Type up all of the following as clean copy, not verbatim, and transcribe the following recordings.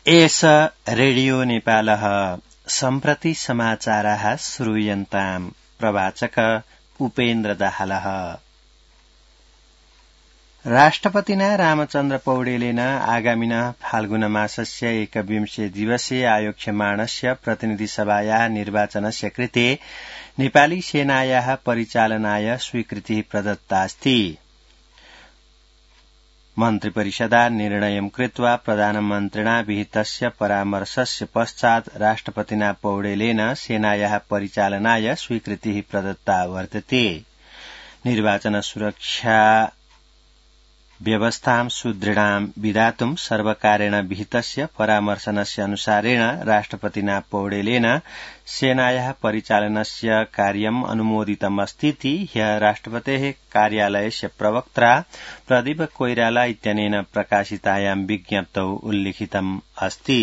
एष रेडियो नेपालः सम्प्रति समाचाराः श्रूयन्ताम् प्रवाचक उपेन्द्र दाहालः। राष्ट्रपतिना रामचन्द्र पौडेलेन आगामिनः फाल्गुन मासस्य 21 दिवसे आयोक्ष्यमाणस्य प्रतिनिधिसभायाः निर्वाचनस्य कृते नेपाली सेनायाः परिचालनाय स्वीकृतिः प्रदत्तास्ति। मन्त्रिपरिषदा निर्णयं कृत्वा प्रधानमन्त्रिणा विहितस्य परामर्शस्य पश्चात् राष्ट्रपतिना पौडेलेन सेनायाः परिचालनाय स्वीकृतिः प्रदत्ता वर्तते। निर्वाचन सुरक्षा व्यवस्थां सुदृढां विधातुं सर्वकारेण विहितस्य परामर्शनस्य अनुसारेण राष्ट्रपतिना पौडेलेन सेनायाः परिचालनस्य कार्यम् अनुमोदितमस्तीति ह्यः राष्ट्रपतेः कार्यालयस्य प्रवक्त्रा प्रदीप कोइराला इत्यनेन प्रकाशितायां विज्ञप्तौ उल्लिखितम् अस्ति।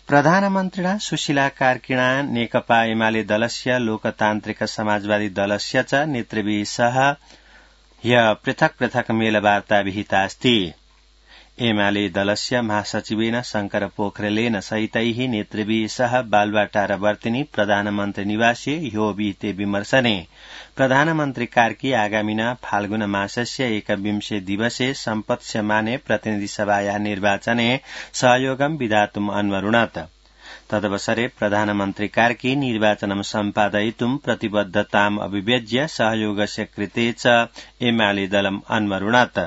प्रधानमन्त्रिणा सुशीला कार्किणा नेकपा एमाले दलस्य लोकतान्त्रिक समाजवादी दलस्य च नेतृभिः सह ह्यः पृथक् पृथक् मेलवार्ता विहितास्ति। एमाले दलस्य महासचिवेन शंकर पोखरेलेन सहितैः नेतृभिः सह बालुवाटारवर्तिनी प्रधानमन्त्री निवासे ह्यो विहिते विमर्शने प्रधानमन्त्री कार्की आगामिना फाल्गुन मासस्य 21 दिवसे सम्पत्स्यमाने प्रतिनिधिसभायाः निर्वाचने सहयोगं विधातुम् अन्वरुणत्। तदवसरे प्रधानमन्त्री कार्की निर्वाचनं सम्पादयितुं प्रतिबद्धताम् अभिव्यज्य सहयोगस्य कृते च एमाले दलम् अन्वरुणत्।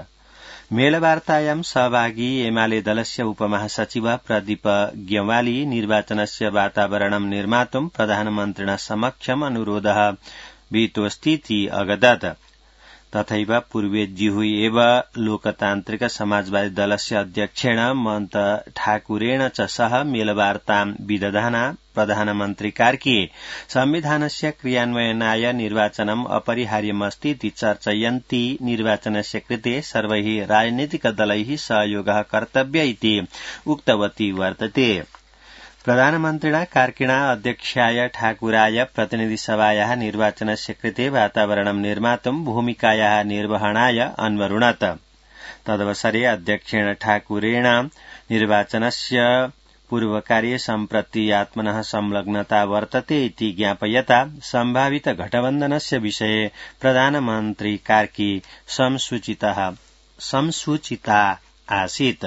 मेलवार्तायां सहभागी एमाले दलस्य उपमहासचिव प्रदीप ग्यवाली निर्वाचनस्य वातावरणं निर्मातुं प्रधानमन्त्रिणा समक्षम् अनुरोधः विहितोऽस्तीति अगदत्। तथैव पूर्वेज्युः एव लोकतान्त्रिक समाजवादी दलस्य अध्यक्षेण मन्त ठाकुरेण च सह मेलवार्तां विदधाना प्रधानमन्त्री कार्की संविधानस्य क्रियान्वयनाय निर्वाचनम् अपरिहार्यमस्तीति चर्चयन्ती निर्वाचनस्य कृते सर्वैः राजनीतिकदलैः सहयोगः कर्तव्य इति उक्तवती वर्तते। प्रधानमन्त्रिणा कार्किणा अध्यक्षाय ठाकुराय प्रतिनिधिसभायाः निर्वाचनस्य कृते वातावरणं निर्मातुं भूमिकायाः निर्वहणाय अन्वरुणत्। तदवसरे अध्यक्षेण ठाकुरेण निर्वाचनस्य पूर्वकार्ये सम्प्रति आत्मनः संलग्नता वर्तते इति ज्ञापयता सम्भावित गठबन्धनस्य विषये प्रधानमन्त्री कार्की संसूचिता आसीत्।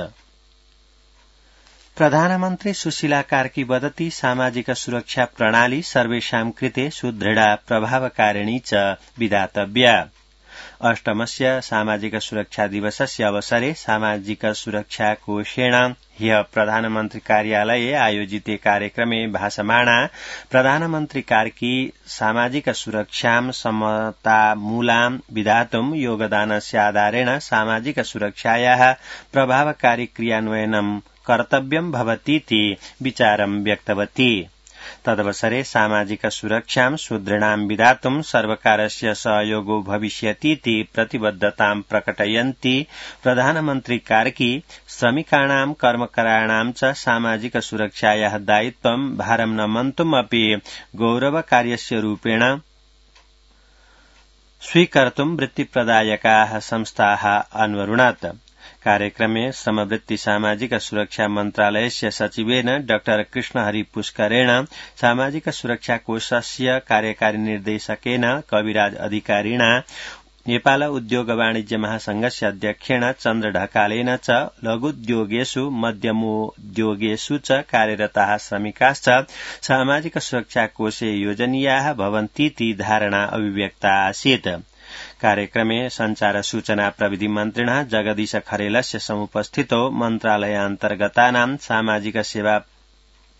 प्रधानमन्त्री सुशीला कार्की वदति सामाजिक सुरक्षा प्रणाली सर्वेषां कृते सुदृढा प्रभावकारिणी च विधातव्या। अष्टमस्य सामाजिक सुरक्षा दिवसस्य अवसरे सामाजिक सुरक्षा कोषेण ह्यः प्रधानमन्त्री कार्यालये आयोजिते कार्यक्रमे भाषमाणा प्रधानमन्त्री कार्की सामाजिक सुरक्षां समतामूलां विधातुं योगदानस्य आधारेण सामाजिक सुरक्षायाः प्रभावकारी क्रियान्वयनं कर्तव्यं भवतीति विचारं व्यक्तवती। तदवसरे सामाजिक सुरक्षां सुदृढां विधातुं सर्वकारस्य सहयोगो भविष्यतीति प्रतिबद्धतां प्रकटयन्ती प्रधानमन्त्री कार्की श्रमिकाणां कर्मकराणां च सामाजिक सुरक्षायाः दायित्वं भारं न मन्तुम् अपि गौरवकार्यस्य रूपेण स्वीकर्तुं वृत्तिप्रदायकाः संस्थाः अन्वरुणत्। कार्यक्रमे श्रमवृत्ति सामाजिक सुरक्षा मन्त्रालयस्य सचिवेन डॉ कृष्णहरि पुष्करेण सामाजिक सुरक्षा कोषस्य कार्यकारी निर्देशकेन कविराज अधिकारिणा नेपाल उद्योग वाणिज्य महासंघस्य अध्यक्षेण चन्द्र ढकालेन च लघुद्योगेषु मध्यमोद्योगेषु च कार्यरताः श्रमिकाश्च सामाजिक सुरक्षा कोषे योजनीयाः भवन्तीति धारणा अभिव्यक्ता आसीत्। कार्यक्रमे संचार सूचना प्रविधि मन्त्रिणः जगदीश खरेलस्य समुपस्थितो मन्त्रालयान्तर्गतानां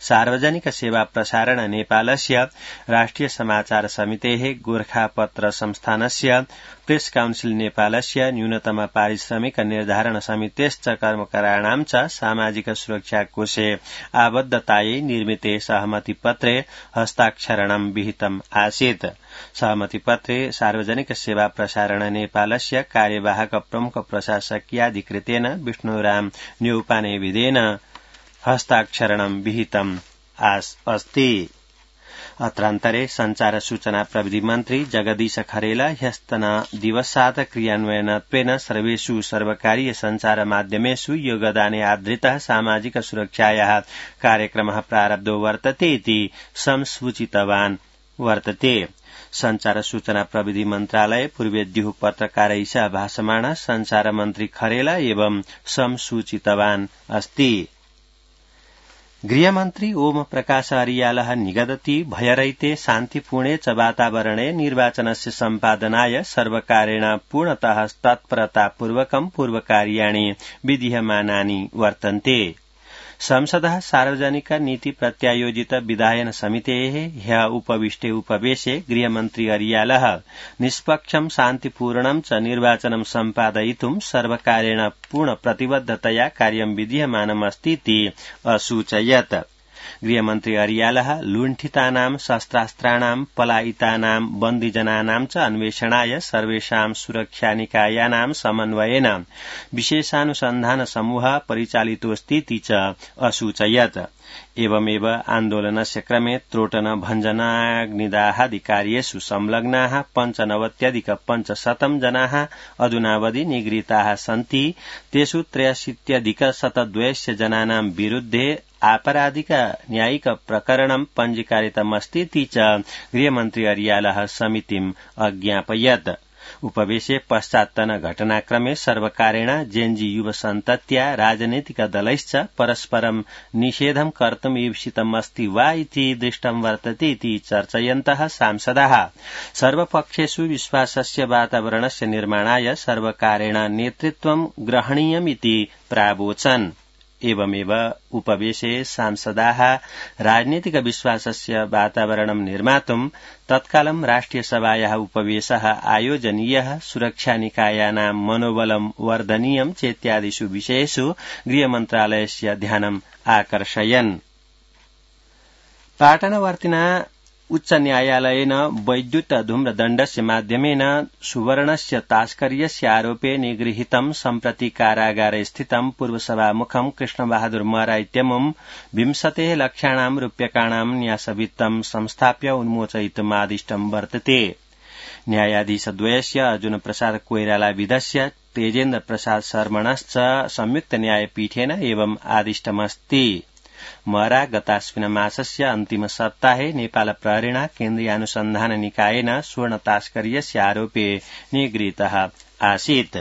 सार्वजनिक सेवा प्रसारण नेपालस्य राष्ट्रिय समाचार समितेः गोर्खापत्र संस्थानस्य प्रेस काउन्सिल नेपालस्य न्यूनतम पारिश्रमिक निर्धारण समितेश्च कर्मकराणां च सामाजिक सुरक्षा कोषे आबद्धतायै निर्मिते सहमतिपत्रे हस्ताक्षरणं विहितम् आसीत्। सहमतिपत्रे सार्वजनिक सेवा प्रसारण नेपालस्य कार्यवाहक प्रमुख प्रशासकीयाधिकृतेन विष्णुराम न्यौपानेविदेन हस्ताक्षरणं विहितम् अस्ति। अत्रान्तरे संचार सूचना प्रविधि मन्त्री जगदीश खरेला ह्यस्तन दिवसात् क्रियान्वयनत्वेन सर्वेषु सर्वकारीय संचार माध्यमेषु योगदाने आधृतः सामाजिक सुरक्षायाः कार्यक्रमः प्रारब्धो वर्तते इति संसूचितवान् वर्तते। संचार सूचना प्रविधि मन्त्रालय पूर्वेद्युः पत्रकारैः सह भाषमाणः संचार मन्त्री खरेला एवं संसूचितवान् अस्ति। गृहमन्त्री ओम प्रकाश अर्यालः निगदति भयरहिते शान्तिपूर्णे च वातावरणे निर्वाचनस्य सम्पादनाय सर्वकारेण पूर्णतः तत्परतापूर्वकं पूर्वकार्याणि विधीयमानानि वर्तन्ते। संसदः सार्वजनिक नीति प्रत्यायोजित विधायन समितेः ह्यः उपविष्टे उपवेशे गृहमन्त्री अर्यालः निष्पक्षं शान्तिपूर्णं च निर्वाचनं सम्पादयितुं सर्वकारेण पूर्ण प्रतिबद्धतया कार्यं विधीयमानमस्तीति असूचयत्। गृहमन्त्री अर्यालः लुण्ठितानां शस्त्रास्त्राणां पलायितानां बन्दीजनानां च अन्वेषणाय सर्वेषां सुरक्षानिकायानां समन्वयेन विशेषानुसन्धान समूहः परिचालितोऽस्तीति च असूचयत्। एवमेव आन्दोलनस्य क्रमे त्रोटन भञ्जनाग्निदाहादि कार्येषु संलग्नाः 95,500 जनाः अधुनावधि निगृहीताः सन्ति। तेषु 83,102 जनानां विरुद्धे आपराधिक न्यायिक प्रकरणं पञ्जीकारितमस्तीति च गृहमन्त्री अर्यालः समितिम् अज्ञापयत्। उपवेशे पश्चात्तन घटनाक्रमे सर्वकारेण जेएनजी युवसन्तत्या राजनैतिक दलैश्च परस्परं निषेधं कर्तुम् ईप्सितमस्ति वा इति दृष्टं वर्तते इति चर्चयन्तः सांसदाः सर्वपक्षेषु विश्वासस्य वातावरणस्य निर्माणाय सर्वकारेण नेतृत्वं ग्रहणीयमिति प्रावोचन्। एवमेव उपवेशे सांसदाः राजनीतिक विश्वासस्य वातावरणं निर्मातुं तत्कालं राष्ट्रियसभायाः उपवेशः आयोजनीयः, सुरक्षानिकायानां मनोबलं वर्धनीयं चेत्यादिषु विषयेषु गृहमन्त्रालयस्य ध्यानम् आकर्षयन्। पाटनवर्तिना उच्च न्यायालयेन वैद्युत धूम्रदण्डस्य माध्यमेन सुवर्णस्य तास्कर्यस्य आरोपे निगृहीतं सम्प्रति कारागारे स्थितं पूर्वसभामुखं कृष्णबहादुर महरा इत्यमुं 20 लक्षाणां रूप्यकाणां न्यासवित्तं संस्थाप्य उन्मोचयितुमादिष्टं वर्तते। न्यायाधीशद्वयस्य अर्जुन प्रसाद कोइरालाविधस्य तेजेन्द्र प्रसाद शर्मणश्च संयुक्त न्यायपीठेन एवं आदिष्टमस्ति। महरा गतास्मिन मासस्य अन्तिम सप्ताहे नेपाल प्रहरीणा केन्द्रीय अनुसन्धान निकायेन स्वर्ण तास्कर्यस्य आरोपे निगृहीतः आसीत्।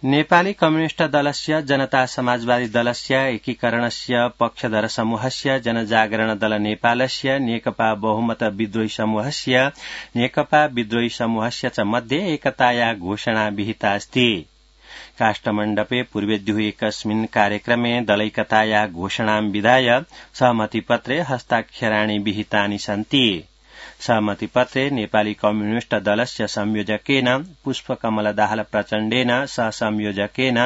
नेपाली कम्युनिष्ट दलस्य जनता समाजवादी दलस्य एकीकरणस्य पक्षधर समूहस्य जनजागरण दल नेपालस्य नेकपा बहुमत विद्रोही समूहस्य नेकपा विद्रोही समूहस्य च मध्ये एकताया घोषणा विहिता अस्ति। काष्ठमण्डपे पूर्वेद्युः एकस्मिन् कार्यक्रमे दलैकताया घोषणां विधाय सहमतिपत्रे हस्ताक्षराणि विहितानि सन्ति। सहमतिपत्रे नेपाली कम्युनिष्ट दलस्य संयोजकेन पुष्पकमल दाहाल प्रचण्डेन सहसंयोजकेन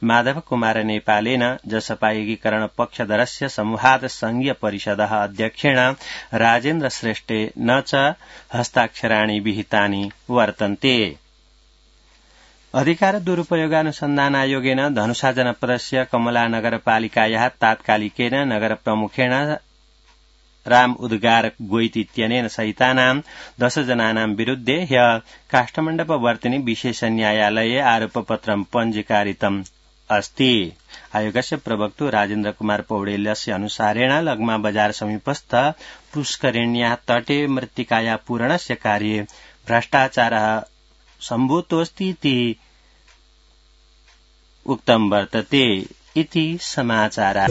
माधव कुमार नेपालेन जसपा एकीकरण पक्षधरस्य समूहात् संघीय परिषदः अध्यक्षेण राजेन्द्र श्रेष्ठेन च हस्ताक्षराणि विहितानि वर्तन्ते। अधिकार दुरुपयोगानुसन्धान आयोगेन धनुषा जनपदस्य कमला नगरपालिकायाः तात्कालिकेन नगर प्रमुखेण राम उद्गार गोइत इत्यनेन सहितानां 10 जनानां विरुद्धे ह्यः काष्ठमण्डपवर्तिनि विशेष न्यायालये आरोपपत्रं पञ्जीकारितम् अस्ति। आयोगस्य प्रवक्तु राजेन्द्र कुमार पौडेल्यस्य अनुसारेण लगमा बजार समीपस्थ पुष्करिण्याः तटे मृत्तिकाया पूरणस्य कार्ये भ्रष्टाचारः सम्भूतोऽस्तीति उक्तं वर्तते इति समाचारः।